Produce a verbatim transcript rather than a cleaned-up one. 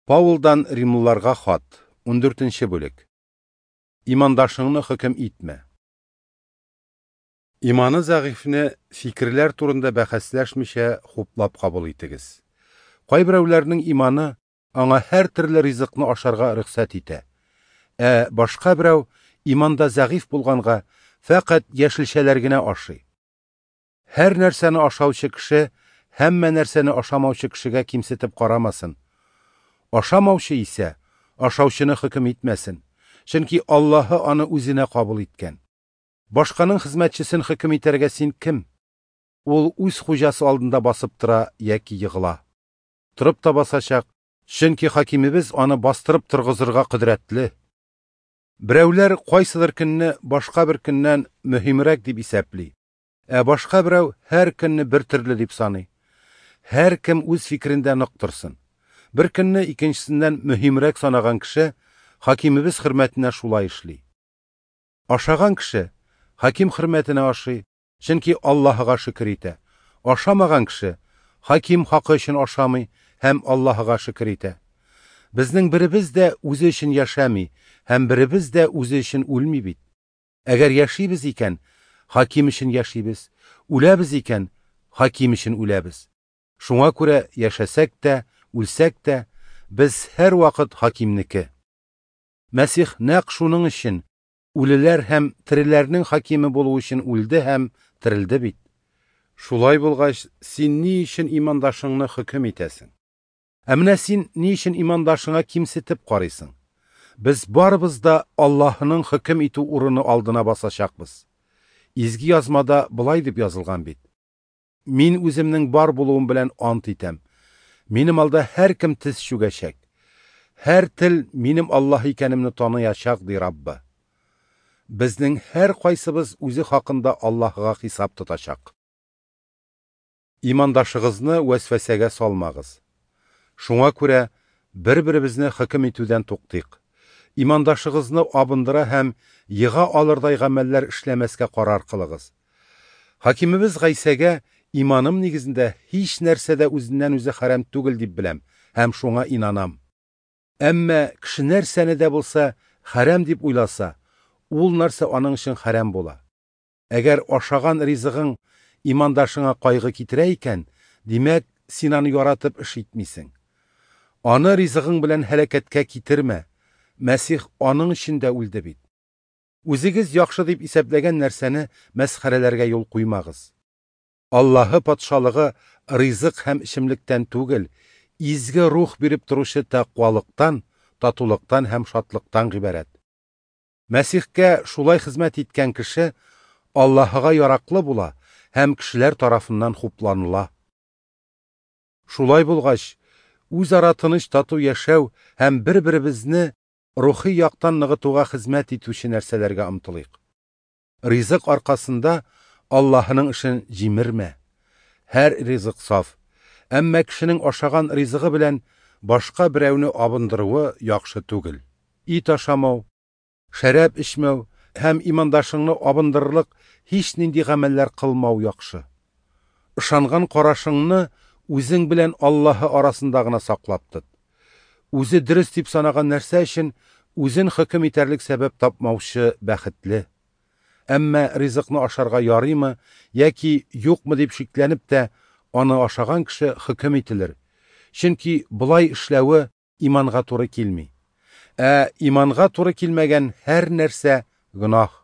Паулдан Римлыларга хат, ундүртенче бүлек. Имандашыңны хөкем итмә. Иманы зәгыйфьне фикерләр турында бәхәсләшмичә хуплап кабул итегез. Кайберәүләрнең иманы аңа һәр төрле ризыкны ашарга рөхсәт итә. Ә башка берәү иманда зәгыйфь булганга фәкать яшелчәләр генә ашый. Һәр нәрсәне ашаучы кеше һәммә нәрсәне ашамаучы кешегә кимсетеп карамасын. Ашамаучы исә ашаучыны хөкем итмәсен, чөнки Аллаһы аны үзенә кабул иткән. Башканың хезмәтчесен хөкем итәргә син кем? Ул үз хуҗасы алдында басып тора яки егыла. Торып та басачак, чөнки хакимебез аны бастырып торгызырга кодрәтле. Берәүләр кайсыдыр көнне башка бер көннән мөһимрәк дип исәпли, ә башка берәү һәр көнне бер төрле дип саный. Һәр кем үз фикерендә нык торсын. Бер көнне икенчесеннән мөһимрәк санаган кеше хакимебез хөрмәтенә шулай эшли. Ашаган кеше хаким хөрмәтенә ашый, чөнки Аллаһыга шөкер итә. Ашамаган кеше хаким хакы өчен ашамый һәм Аллаһыга шөкер итә. Безнең беребез дә үзе өчен яшәми һәм беребез дә үзе өчен үлми бит. Әгәр яшибез икән, хаким өчен яшибез, үләбез икән, хаким өчен үләбез. Шуңа күрә яшәсәк тә, үлсәк тә, без һәр вакыт хакимнеке. Мәсих нәкъ шуның өчен үлеләр һәм тереләрнең хакиме булу өчен үлде һәм терелде бит. Шулай булгач, син ни өчен имандашыңны хөкем итәсең? Ә менә син ни өчен имандашыңа кимсетеп карыйсың? Без барыбыз да Аллаһының хөкем итү урыны алдына басачакбыз. Изге язмада былай дип язылган бит: Мин үземнең бар булуым белән ант итәм. Минем алда һәр кем тез чүгәчәк. Һәр тел минем Аллаһ икәнемне таныячак, ди Раббы. Безнең һәр кайсыбыз үзе хакында Аллаһыга хисап тотачак. Имандашыгызны вәсвәсәгә салмагыз. Шуңа күрә бер-беребезне хөкем итүдән туктыйк. Имандашыгызны абындыра һәм ега алырдай гамәлләр эшләмәскә карар кылыгыз. Хакимебез Гайсәгә иманым нигезендә һич нәрсә дә үзеннән үзе хәрам түгел дип беләм һәм шуңа инанам. Әмма кеше нәрсәне дә булса хәрам дип уйласа, ул нәрсә аның өчен хәрам була. Әгәр ашаган ризыгың имандашыңа кайгы китерә икән, димәк, син аны яратып эш итмисең. Аны ризыгың белән һәлакәткә китермә. Мәсих аның өчен дә үлде бит. Үзегез яхшы дип исәпләгән нәрсәне мәсхәрәләргә юл куймагыз. Аллаһы патшалыгы ризык һәм эчемлектән түгел, изге рух биреп торучы тәкъвалыктан, татулыктан һәм шатлыктан гыйбарәт. Мәсихкә шулай хезмәт иткән кеше Аллаһыга яраклы була һәм кешеләр тарафыннан хупланыла. Шулай булгач, үзара тыныч тату яшәү һәм бер-беребезне рухи яктан ныгытуга хезмәт итүче нәрсәләргә омтылыйк. Ризык аркасында Аллаһының эшен җимермә. Һәр ризык саф, әмма кешенең ашаган ризыгы белән башка берәүне абындыруы яхшы түгел. Ит ашамау, шәраб эчмәү һәм имандашыңны абындырырлык һич нинди гамәлләр кылмау яхшы. Ышанган карашыңны үзең белән Аллаһы арасында гына саклап тот. Үзе дөрес дип санаган нәрсә өчен үзен хөкем итәрлек сәбәп тапмаучы бәхетле. Әмма ризыкны ашарга ярыймы яки юкмы дип шикләнеп тә аны ашаган кеше хөкем ителер. Чөнки болай эшләве иманга туры килми. Ә иманга туры килмәгән һәр нәрсә гөнаһ.